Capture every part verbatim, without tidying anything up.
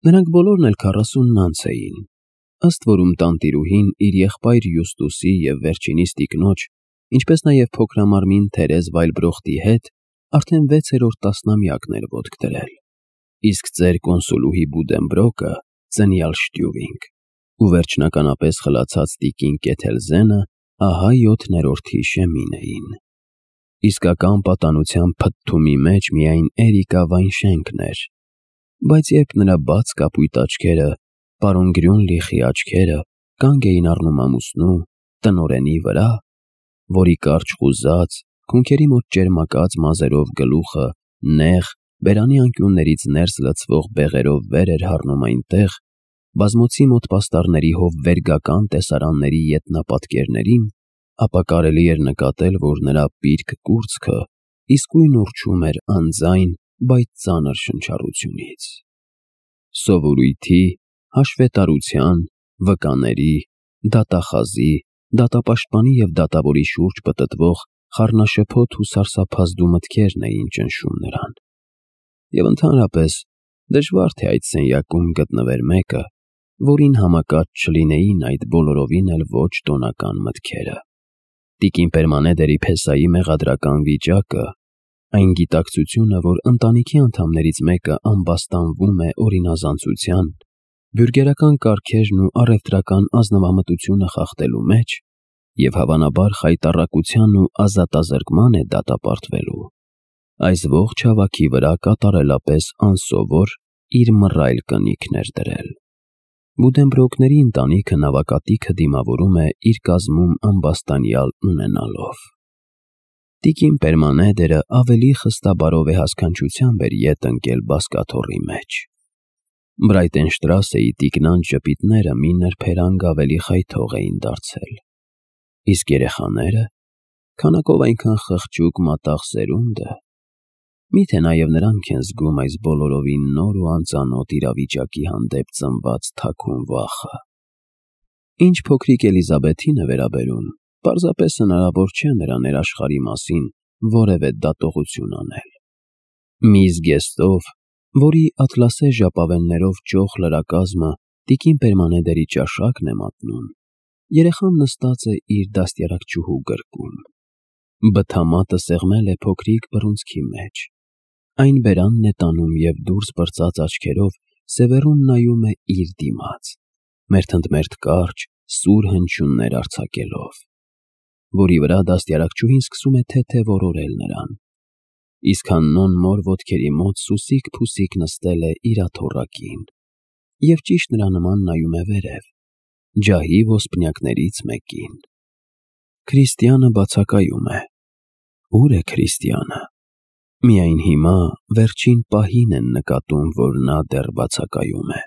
Նրանք բոլորն էլ քառասունն անց էին, ըստ որում տանտիրուհին իր եղբայր Յուստուսի և վերջինիս տիկնոջ, ինչպես նաև փոքրամարմին Թերեզ Վայլբրոխտի հետ արդեն վեցերորդ տասնամյակն էր ոտք դրել, իսկ ձեր կոնսուլուհի Բուդենբրոկը ծնյալ Շտյուվինգ ու վերջնականապես խլացած տիկին Կեթելզենը ահա յոթներորդի շեմին էին։ Իսկական պատանության փթթումի մեջ միայն Էրիկա Վայնշենկն էր, բայց երբ նրա բաց կապույտ աչքերը, պարոն Գրյունլիխի աչքերը կանգ էին առնում ամուսնու, տնօրենի վրա, որի կարճ խուզած, քունքերի մոտ ճերմակած մազերով գլուխը նեղ, բերանի անկյուններից ներս լցվող բեղերով վեր էր հառնում այնտեղ, բազմոցի մոտ պաստառների հովվերգական տեսարանների ետնապատկերներին, ապա կարելի էր նկատել, որ նրա պիրկ կուրծքը իսկույն ուռչում էր անձայն, բայց ծանր շնչառությունից։ Սովորույթի, հաշվետարության, վկաների, դատախազի, դատապաշտպանի և դատավորի շուրջ պտտվող խառնաշփոթ ու սարսափազդու մտքերն էին ճնշում նրան։ Եվ ընդհանրապես դժվար թե այդ սենյակում գտնվեր մեկը, որին համակած չլինեին այդ բոլորովին էլ ոչ տոնական մտքերը։ Տիկին Պերմանեդերի փեսայի մեղադրական վիճակը, այն գիտակցությունը, որ ընտանիքի անդամներից մեկը ամբաստանվում է օրինազանցության, բյուրգերական կարգերն ու առևտրական ազնվամտությունը խախտելու մեջ և հավանաբար խայտառակության ու ազատազրկման է դատապարտվելու, այս ողջ հավաքի վրա կատարելապես անսովոր իր մռայլ կնիքն էր դրել։ Բուդենբրոկների ընտանիքը նավակատիքը դիմավորում է իր կազմում ամբաստանյալ ունենալով։ Տիկին Պերմանեդերը ավելի խստաբարով է հասկանչությամբ էր ետ ընկել բազկաթոռի մեջ։ Բրայտենշտրասեի տիկնանց ժպիտները մի նրբերանգ ավելի խայթող էին դարձել։ Իսկ երեխաները, քանակով այնքան խղճուկ մատաղ սերունդը, միթե նաև նրանք են զգում այս բոլորովին նոր ու անծանոթ իրավիճակի հանդեպ ծնված թաքուն վախը։ Ինչ փոքրիկ Էլիզաբեթին է վերաբերում, պարզապես հնարավոր չէ նրա ներաշխարհի մասին որևէ դատողություն անել։ Մի զգեստով, որի ատլասե ժապավեններով ճոխ լրակազմը տիկին Պերմանեդերի ճաշակն է մատնում, երեխան նստած է իր դաստիարակչուհու գրկում։ Բթամատը սեղմել է փոքրիկ բռունցքի մեջ, այն բերանն է տանում և դուրս պրծած աչքերով սևեռուն նայում է իր դիմաց, մերթընդմերթ կարճ, սուր հնչյուններ արձակելով, որի վրա դաստիարակչուհին սկսում է թեթև օրորել նրան, իսկ Հաննոն մոր ոտքերի մոտ սուսիկ-փուսիկ նստել է իր աթոռակին և ճիշտ նրա նման նայում է վերև, ջահի ոսպնյակներից մեկին։ Քրիստիանը բացակայում է։ Ո՞ւր է Քրիստիանը։ Միայն հիմա, վերջին պահին են նկատում, որ նա դեռ բացակայում է։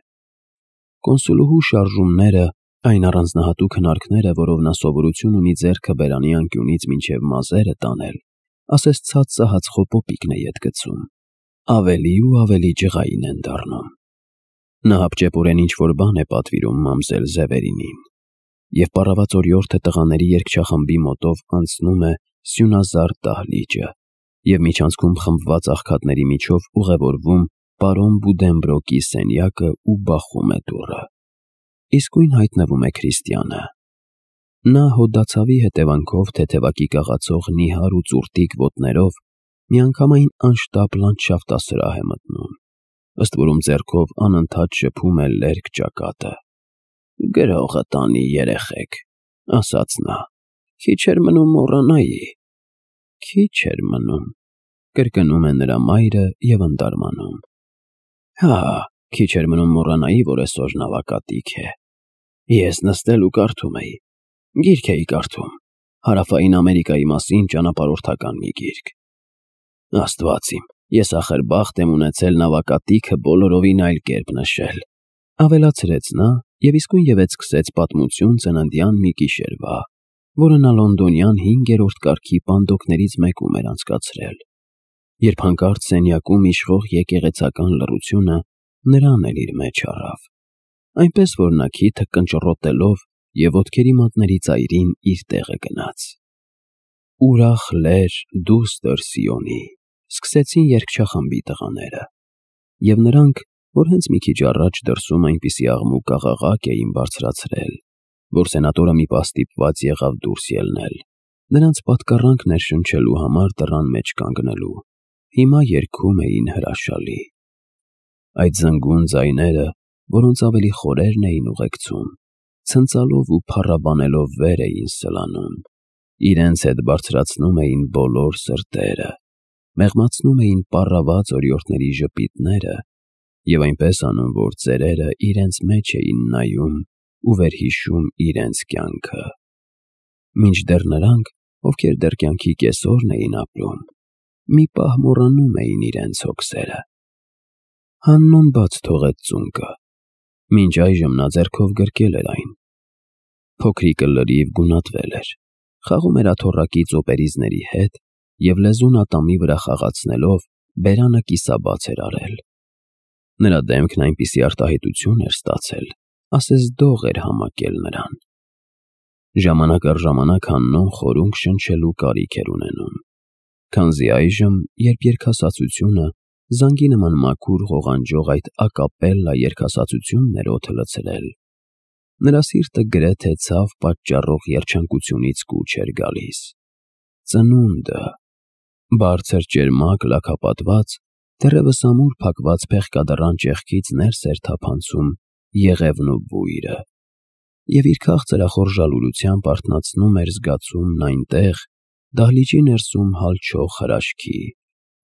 Կոնսուլուհու շարժումները, այն առանձնահատուկ հնարքները, որով նա սովորություն ունի ձեռքը բերանի անկյունից մինչև մազերը տանել, ասես ցած սահած խոպոպիկն է ետ գցում, ավելի ու ավելի ջղային են դառնում։ Նա հապճեպորեն ինչ-որ բան է պատվիրում մամզել Զևերինին, և պառավացորյորդը տղաների երգչախմբի մոտով անցնում է սյունազարդ դահլիճը և միջանցքում խմբված աղքատների միջով ուղևորվում պարոն Բուդենբրոկի սենյակը ու բախում է դուռը։ Իսկույն հայտնվում է Քրիստիանը։ Նա հոդացավի հետևանքով թեթևակի կաղացող նիհար ու ծուռտիկ ոտներով միանգամայն անշտապ լանդշաֆտասրահ է մտնում, ըստ որում ձեռքով անընդհատ շփում է լերկ ճակատը։ «Գրողը տանի, երեխեք», ասաց նա, «քիչ էր մնում մոռանայի»։ Քիչ էր մնում, կրկնում է նրա մայրը և ընդարմանում։ Հա, քիչ էր մնում մոռանայի, որ այսօր նավակատիք է։ Ես նստել ու կարդում էի, գիրք էի կարդում, Հարավային Ամերիկայի մասին ճանապարհորդական մի գիրք։ Աստված իմ, ես ախր բախտ եմ ունեցել նավակատիքը բոլորովին այլ կերպ նշել, ավելացրեց նա և իսկույնևեթ սկսեց պատմություն ծննդյան մի գիշերվա, որը նա լոնդոնյան հինգերորդ կարգի պանդոկներից մեկում էր անցկացրել, երբ հանկարծ սենյակում իշխող եկեղեցական լռությունը նրան էլ իր մեջ առավ, այնպես որ նա քիթը կնճռոտելով և ոտքերի մատների ծայրին իր տեղը գնաց։ «Ուրախ լեր, դուստր Սիոնի», սկսեցին երգչախմբի տղաները, և նրանք, որ հենց մի քիչ առաջ դրսում այնպիսի աղմուկ աղաղակ էին բարձրացրել, որ սենատորը մի պահ ստիպված եղավ դուրս ելնել, նրանց պատկառանք ներշնչելու համար դռան մեջ կանգնելու։ Հիմա երգում էին հրաշալի։ Այդ զնգուն ձայները, որոնց ավելի խորերն էին ուղեկցում, ցնծալով ու փառաբանելով վեր էին սլանում, իրենց հետ բարձրացնում էին բոլոր սրտերը, մեղմացնում էին պառաված օրիորդների ժպիտները և այնպես անում, որ ծերերը իրենց մեջ էին նայում ու վերհիշում իրենց կյանքը։ Մինչդեռ նրանք, ովքեր դեռ կյանքի կեսօրն էին ապրում, մի պահ մոռանում էին իրենց հոգսերը։ Հաննոն բաց թողեց ծունկը, մինչ այժմ նա ձեռքով գրկել էր այն։ Փոքրիկը լրիվ գունատվել էր, խաղում էր աթոռակի ծոպերիզների հետ և լեզուն ատամի վրա խաղացնելով բերանը կիսաբաց էր արել։ Նրա դեմքն այնպիսի արտահայտություն էր ստացել, ասես դող էր համակել նրան։ Ժամանակ առ ժամանակ Հաննոն խորունգ շնչելու կարիք էր ունենում, քանզի այժմ, երբ երգասացությունը, զանգի նման մաքուր ղողանջող այդ ակապելլա երգասացությունն էր օդը լցրել, նրա սիրտը գրեթե ցավ պատճառող երջանկությունից կուչ էր գալիս։ Ծնունդը, բարձր ճերմակ լաքապատված, դեռևս ամուր փակված փեղկադռան ճեղքից ներս էր թափանցում եղևն ու բույրը, և իր քաղցրախոր լուրությամբ արթնացնում էր զգացումն այնտեղ, դահլիճի ներսում հալչող հրաշքի,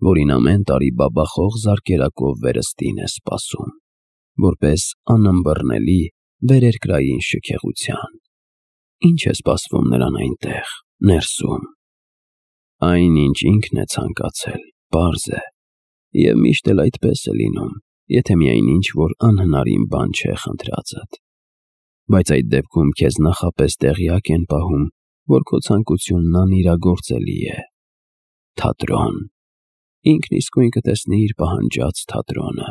որին ամեն տարի բաբախող զարկերակով վերստին է սպասում, որպես անըմբռնելի վերերկրային շքեղության։ Ինչ է սպասվում նրան այնտեղ, ներսում։ Այն, ինչ ինքն է ցանկացել, պարզ է, և միշտ էլ այդպես է լինում, եթե միայն ինչ-որ անհնարին բան չէ խնդրածդ։ Բայց այդ դեպքում քեզ նախապես տեղյակ են պահում, որ քո ցանկությունն անիրագործելի է։ Թատրոն։ Ինքն իսկույն կտեսնի իր պահանջած թատրոնը,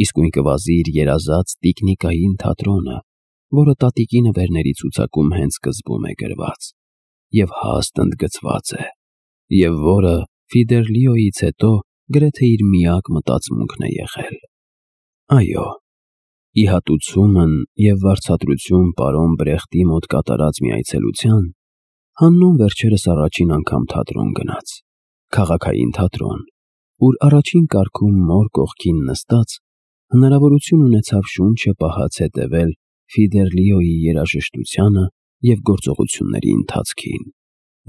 իսկույն կվազի իր երազած տիկնիկային թատրոնը, որը տատիկի նվերների ցուցակում հենց սկզբում է գրված և հաստ ընդգծված է, և որը Ֆիդեռլիոյից հետո գրեթե իր միակ մտածմունքն է եղել։ Այո, ի հատուցումն և վարձատրություն պարոն Բրեխտի մոտ կատարած մի այցելության, Հաննոն վերջերս առաջին անգամ թատրոն գնաց, քաղաքային թատրոն, ուր առաջին կարգում մոր կողքին նստած, հնարավորություն ունեցավ շունչը պահած հետևել Ֆիդեռլիոյի երաժշտությանը և գործողությունների ընթացքին։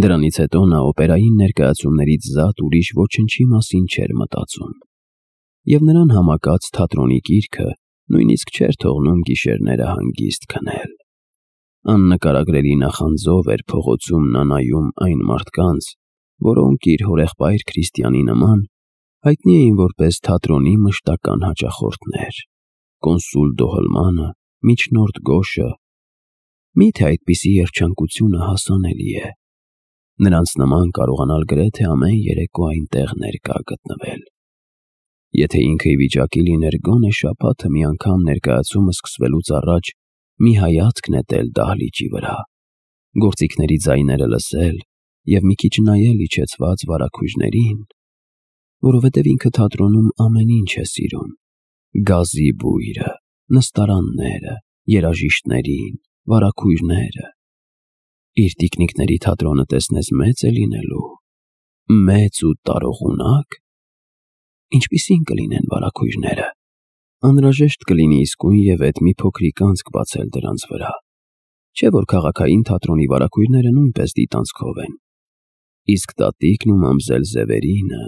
Դրանից հետո նա օպերային ներկայացումներից զատ ուրիշ ոչնչի մասին չէր մտածում, և նրան համակած թատրոնի կիրքը նույնիսկ չէր թողնում գիշերները հանգիստ քնել։ Աննկարագրելի նախանձով էր փողոցում նա նայում այն մարդկանց, որոնք իր հորեղբայր Քրիստիանի նման հայտնի էին որպես թատրոնի մշտական հաճախորդներ՝ կոնսուլ Դոհլմանը, միջնորդ Գոշը։ Մի՞թե այդպիսի երջանկությունը հասանելի է։ Նրանց նման կարողանալ գրեթե ամեն երեկո այնտեղ ներկա գտնվել։ Եթե ինքը ի վիճակի լիներ գոնե շաբաթը մի անգամ ներկայացումը սկսվելուց առաջ մի հայացք նետել դահլիճի վրա, գործիքների ձայները լսել և մի քիչ նայել իջեցված վարագույրներին, որովհետև ինքը թատրոնում ամեն ինչ է սիրում՝ գազի բույրը, նստարանները, երաժիշտներին, վարագույրները։ Իր տիկնիկների թատրոնը տեսնես մեծ է լինելու, մեծ ու տարողունակ։ Ինչպիսի՞ն կլինեն վարագույրները։ Անհրաժեշտ կլինի իսկույն և էդ մի փոքրիկ անցք բացել դրանց վրա, չէ՞ որ քաղաքային թատրոնի վարագույրները նույնպես դիտանցքով են։ Իսկ տատիկն ու մամզել Զևերինը…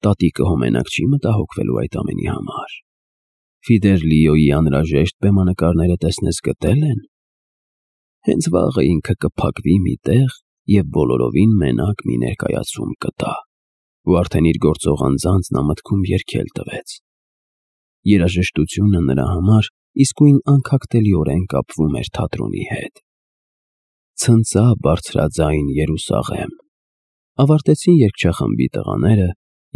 Տատիկը հո մենակ չի մտահոգվելու այդ ամենի համար։ Ֆիդեռլիոյի անհրաժեշտ բեմանկարները տեսնես գտել են։ Հենց վաղը ինքը կփակվի մի տեղ և բոլորովին մենակ մի ներկայացում կտա, ու արդեն իր գործող անձանց նա մտքում երգել տվեց։ Երաժշտությունը նրա համար իսկույն անքակտելիորեն կապվում էր թատրոնի հետ։ Ցնծա բարձրաձայն Երուսաղեմ։ Ավարտեցին երգչախմբի տղաները,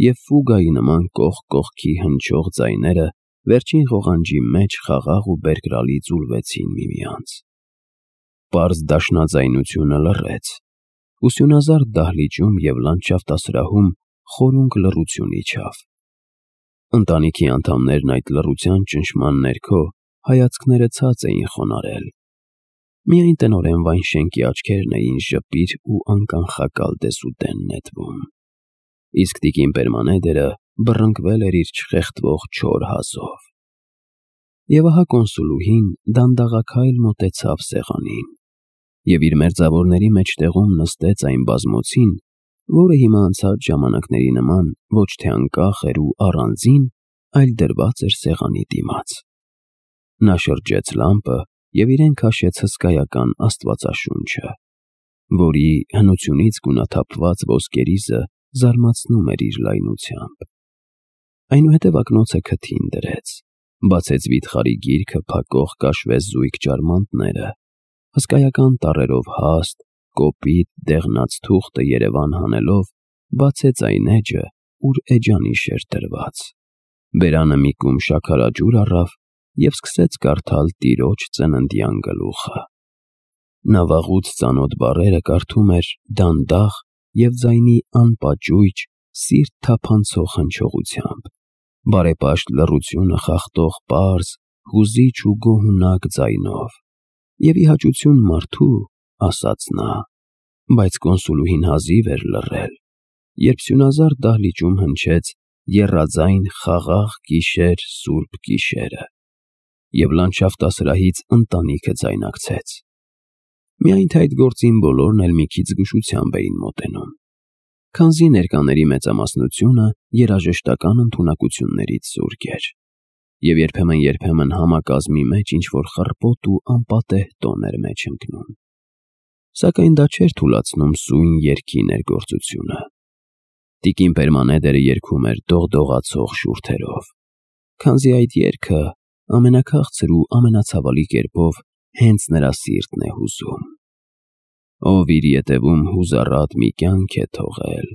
և ֆուգայի նման կողք կողքի հնչող ձայները վերջին ղողանջի մեջ խաղաղ ու բերկրալի ձուլվեցին միմյանց։ Պարզ դաշնաձայնությունը լռեց։ Ուսյունազարդ դահլիճում և լանդշաֆտասրահում խորունգ լռություն իջավ։ Ընտանիքի անդամներն այդ լռության ճնշման ներքո հայացքները ցած էին խոնարհել։ Միայն տնօրեն Վայնշենկի աչքերն էին ժպիր ու անկանխակալ դեսուդեն նետվում, իսկ տիկին Պերմանեդերը բռնկվել էր իր չխեղդվող չոր հազով։ Եվ ահա կոնսուլուհին դանդաղաքայլ մոտեցավ սեղանին և իր մերձավորների մեջտեղում նստեց այն բազմոցին, որը հիմա անցած ժամանակների նման ոչ թե անկախ էր ու առանձին, այլ դրված էր սեղանի դիմաց։ Նա շրջեց լամպը և իրեն քաշեց հսկայական աստվածաշունչը, որի հնությունից գունաթափված ոսկերիզը զարմացնում էր իր լայնությամբ։ Այնուհետև ակնոցը քթին դրեց, բացեց վիթխարի գիրքը փակող կաշվե զույգ ջարմանտները, հսկայական տառերով հաստ, կոպիտ, դեղնած թուղթը երևան հանելով, բացեց այն էջը, ուր էջանիշ էր դրված, բերանը մի կում շաքարաջուր առավ և սկսեց կարդալ տիրոջ ծննդյան գլուխը։ Նա վաղուց ծանոթ բառերը կարդում էր դանդաղ և ձայնի անպաճույճ, սիրտ թափանցող հնչողությամբ, բարեպաշտ լռությունը խախտող պարզ, հուզիչ ու գոհունակ ձայնով։ Եվ ի հաճություն մարդու, ասաց նա, բայց կոնսուլուհին հազիվ էր լռել, երբ սյունազարդ դահլիճում հնչեց եռաձայն խաղաղ գիշեր սուրբ գիշերը, և լանդշաֆտասրահից ընտանիքը ձայնակցեց։ Միայն թե այդ գործին բոլորն էլ մի քիչ զգուշությամբ էին մոտենում, քանզի ներկաների մեծամասնությունը երաժշտական ընդունակություններից զուրկ էր, և երբեմն-երբեմն համակազմի մեջ ինչ-որ խռպոտ ու անպատեհ տոն էր մեջ ընկնում, սակայն դա չէր թուլացնում սույն երգի ներգործությունը։ Տիկին Պերմանեդերը երգում էր դողդողացող շուրթերով, քանզի այդ երգը ամենաքաղցր ու ամենացավալի կերպով հենց նրա սիրտն է հուզում։ Ով իր ետևում հուզառատ մի կյանք է թողել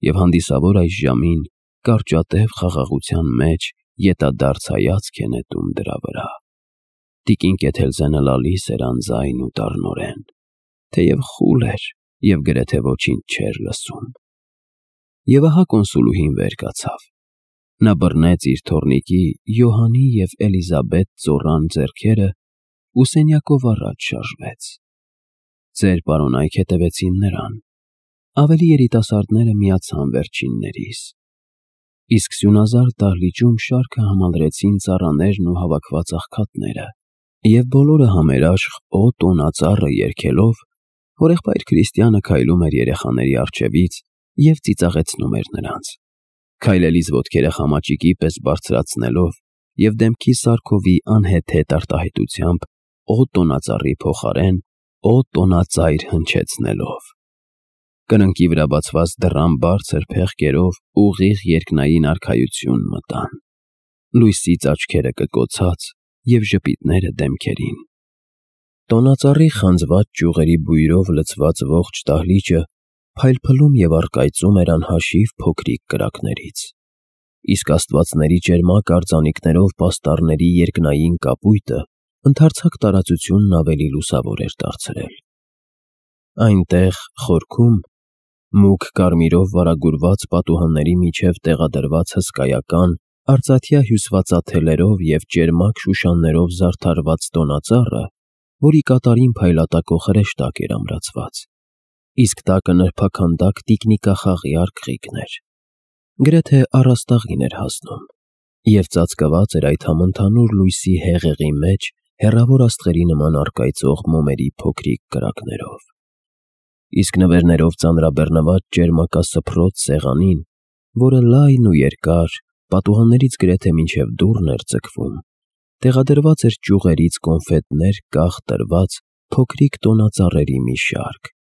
և հանդիսավոր այս ժամին կարճատև խաղաղության մեջ ետադարձ հայացք է նետում դրա վրա։ Տիկին Կեթելզենը լալիս էր անձայն ու դառնորեն, թեև խուլ էր և գրեթե ոչինչ չէր լսում։ Եվ ահա կոնսուլուհին վեր կացավ։ Նա բռնեց իր թոռնիկի Յոհանի և Էլիզաբետ ծոռան ձեռքերը ու սենյակով առաջ շարժվեց։ Ծեր պարոնայք հետևեցին նրան, ավելի երիտասարդները միացան վերջիններիս, իսկ սյունազարդ դահլիճում շարքը համալրեցին ծառաներն ու հավաքված աղքատները, և բոլորը համերաշխ «Օ տոնածառը» երգելով, հորեղբայր Քրիստիանը քայլում էր երեխաների առջևից և ծիծաղեցնում էր նրանց, քայլելիս ոտքերը խամաճիկի պես բարձրացնելով և դեմքի սարքովի անհեթեթ արտահայտությամբ «Օ տոնածառի» փոխարեն «Օ տոնածայր» հնչեցնելով։ Կրնկի վրա բացված դռան բարձր փեղկերով ուղիղ երկնային արքայություն մտան, լույսից աչքերը կկոցած և ժպիտները դեմքերին։ Տոնածառի խանձված ճյուղերի բույրով լցված ողջ դահլիճը փայլփլում և առկայծում էր անհաշիվ փոքրիկ կրակներից, իսկ աստվածների ճերմակ արձանիկներով պաստառների երկնային կապույտը ընդարձակ տարածությունն ավելի լուսավոր էր դարձրել։ Այնտեղ, խորքում, մուգ կարմիրով վարագուրված պատուհանների միջև տեղադրված հսկայական, արծաթյա հյուսվածաթելերով և ճերմակ շուշաններով զարդարված տոնածառը, որի կատարին փայլատակող հրեշտակ էր ամրացված, իսկ տակը նրբաքանդակ տիկնիկախաղի արկղիկն էր, գրեթե առաստաղին էր հասնում, և ծածկված էր այդ համընդհանուր լույսի հեղեղի մեջ հեռավոր աստղերի նման առկայծող մոմերի փոքրիկ կրակներով։ Իսկ նվերներով ծանրաբեռնված ճերմակասփռոց սեղանին, որը լայն ու երկար, պատուհաններից գրեթե մինչև դուռն էր ձգվում, տեղադրված էր ճյուղերից կոնֆետներ կախ տրված փոքրիկ տոնածառերի մի շարք,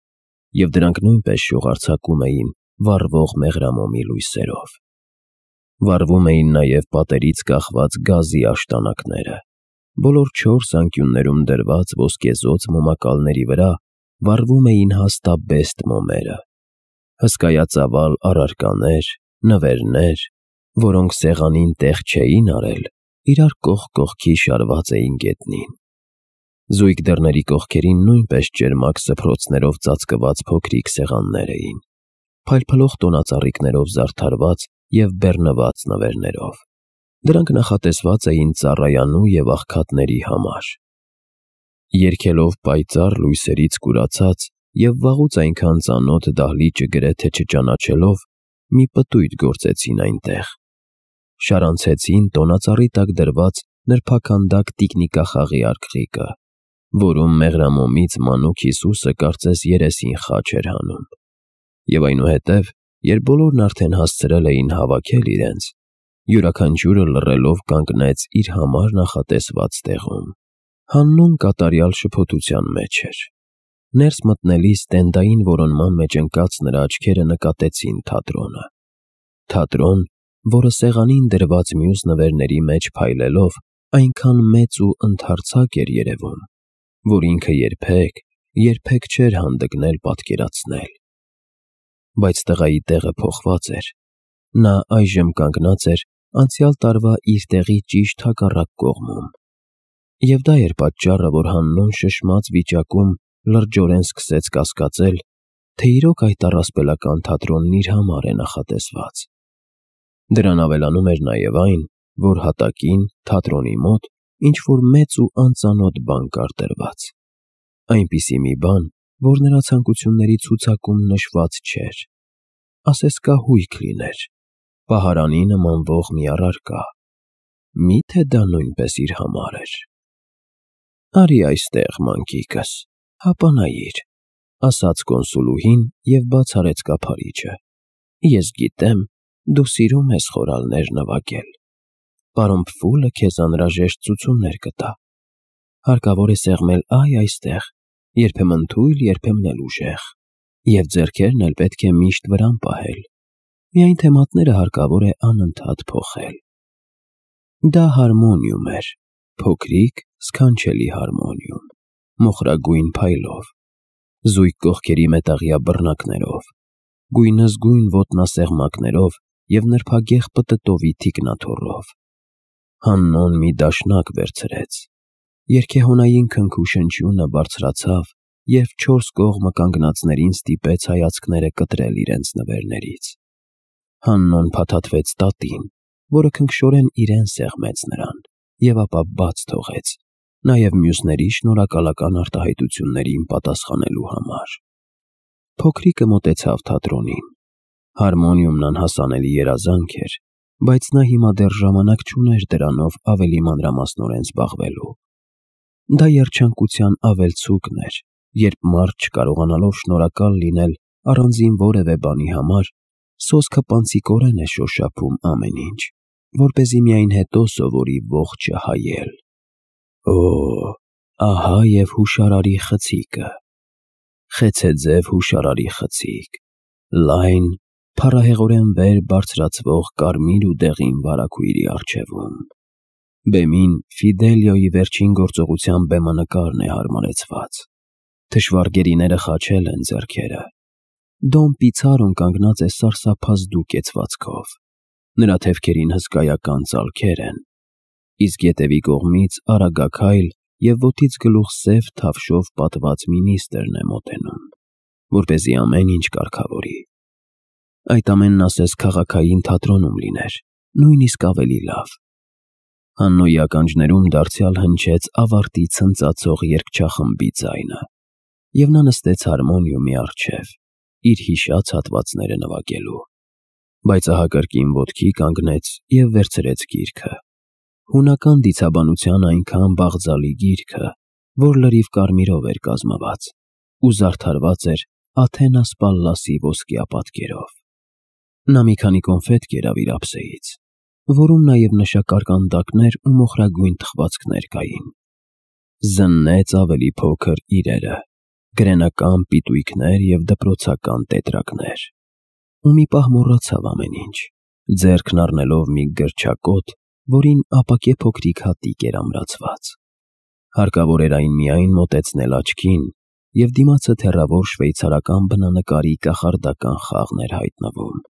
և դրանք նույնպես շողարձակում էին վառվող մեղրամոմի լույսերով։ Վառվում էին նաև պատերից կախված գազի աշտանակները, բոլոր չորս անկյուններում դրված ոսկեզօծ մոմակալների վրա վառվում էին հաստաբեստ մոմերը, հսկայածավալ առարկաներ, նվերներ, որոնք սեղանին տեղ չէին արել, իրար կողք կողքի շարված էին գետնին։ Զույգ դռների կողքերին նույնպես ճերմակ սփռոցներով ծածկված փոքրիկ սեղաններ էին, փայլփլող տոնածառիկներով զարդարված և բեռնված նվերներով։ Դրանք նախատեսված էին ծառայանու և աղքատների համար։ Երգելով պայծառ լույսերից կուրացած և վաղուց այնքան ծանոթ դահլիճը գրեթե չճանաչելով, մի պտույտ գործեցին այնտեղ։ Շարանցեցին տոնածառի տակ դրված նրբաքանդակ տիկնիկախաղի արկղիկը, որում մեղրամոմից մանուկ Հիսուսը կարծես երեսին խաչ էր հանում։ Եվ այնուհետև, երբ բոլորն արդեն հասցրել էին հավաքել իրենց, յուրաքանչյուրը լռելով կանգնեց իր համար նախատեսված տեղում։ Հաննուն կատարյալ շփոթության մեջ էր։ Ներս մտնելիս տենդային որոնման մեջ ընկած նրա աչքերը նկատեցին թատրոնը։ Թատրոն, որը սեղանին դրված մյուս նվերների մեջ փայլելով այնքան մեծ ու ընդարձակ էր երևում, որ ինքը երբեք, երբեք չէր հանդգնել պատկերացնել։ Բայց տղայի տեղը փոխված էր։ Նա այժմ կանգնած էր անցյալ տարվա իր տեղի ճիշտ հակառակ կողմում։ Եվ դա էր պատճառը, որ Հաննուն շշմած վիճակում լրջորեն սկսեց կասկածել, թե իրոք այդ առասպելական թատրոնն իր համար է նախատեսված։ Դրան ավելանում էր նաև այն, որ հատակին, թատրոնի մոտ, ինչ-որ մեծ ու անծանոթ բան կար դրված։ Այնպիսի մի բան, որ նրա ցանկությունների ցուցակում նշված չէր։ Ասես կահույք լիներ, պահարանի նմանվող մի առարկա։ Մի՞թե դա նույնպես իր համար էր։ «Արի այստեղ, մանկիկս, հապա նայիր», ասաց կոնսուլուհին և բաց արեց կափարիչը։ «Ես գիտեմ, դու սիրում ես խորալներ նվագել։ Պարոն Փֆուլը քեզ անհրաժեշտ ցուցումներ կտա։ Հարկավոր է սեղմել այ այստեղ, երբեմն թույլ, երբեմն էլ ուժեղ, և ձեռքերն էլ պետք է միշտ վրան պահել։ Միայն թե մատները հարկավոր է անընդհատ փոխել»։ Դա հարմոնիում էր, փոքրիկ, սքանչելի հարմոնիում, մոխրագույն փայլով, զույգ կողքերի մետաղյա բռնակներով, գույնզգույն ոտնասեղմակներով և նրբագեղ պտտովի թիկնաթոռով։ Հաննոն մի դաշնակ վերցրեց։ Երգեհոնային քնքուշնչյունը բարձրացավ, երբ չորս կողմը կանգնածներին ստիպեց հայացքները կտրել իրենց նվերներից։ Հաննոն փաթաթվեց տատին, որը քնքշորեն իրեն սեղմեց նրան, և ապա բաց թողեց, նաև մյուսների շնորհակալական արտահայտություններին պատասխանելու համար։ Փոքրիկը մոտեցավ թատրոնին։ Հարմոնիումն անհասանելի երազանք էր, բայց նա հիմա դեռ ժամանակ չուներ դրանով ավելի մանրամասնորեն զբաղվելու։ Դա երջանկության ավելցուկն էր, երբ մարդ չկարողանալով շնորհակալ լինել առանձին որևէ բանի համար, սոսկը պանծիկորեն է շոշափում ամեն ինչ, որպեսզի միայն հետո սովորի ողջը հայել։ Օ, ահա և հուշարարի խցիկը։ Խեցեձև հուշարարի խցիկ, լայն, փառահեղորեն վեր բարձրացվող կարմիր ու դեղին վարագույրի առջևում։ Բեմին Ֆիդելիոյի վերջին գործողության բեմանկարն է հարմարեցված։ Թշվառ գերիները խաչել են ձեռքերը։ Դոն Պիցարոն կանգնած է սարսափազդու կեցվածքով։ Նրա թևքերին հսկայական ծալքեր են, իսկ ետևի կողմից արագաքայլ և ոտից գլուխ սև թավշով պատված մինիստրն է մոտենում, որպեսզի ամեն ինչ կարգավորի։ Այդ ամենն ասես քաղաքային թատրոնում լիներ, նույնիսկ ավելի լավ։ Հաննոյի ականջներում դարձյալ հնչեց ավարտի ցնծացող երգչախմբի ձայնը, և նա նստեց հարմոնիումի առջև, իր հիշած հատվածները նվագելու։ Բայց ահա կրկին ոտքի կանգնեց և վերցրեց գիրքը։ Հունական դիցաբանության այնքան բաղձալի գիրքը, որ լրիվ կարմիրով էր կազմված ու զարդարված էր Աթենաս Պալլասի ոսկյա պատկերով։ Նա մի քանի կոնֆետ կերավ իր ափսեից, որում նաև նշակարկանդակներ ու մոխրագույն թխվածքներ կային։ Զննեց ավելի փոքր իրերը, գրենական պիտույքներ և դպրոցական տետրակներ։ Ու մի պահ մոռացավ ամեն ինչ, ձեռքն առնելով մի գրչակոտ, որին ապակե փոքրիկ հատիկ էր ամրացված։ Հարկավոր էր այն միայն մոտեցնել աչքին, և դիմացը թեռավոր շվեյցարական բնանկարի կախարդական խաղն էր հայտնվում։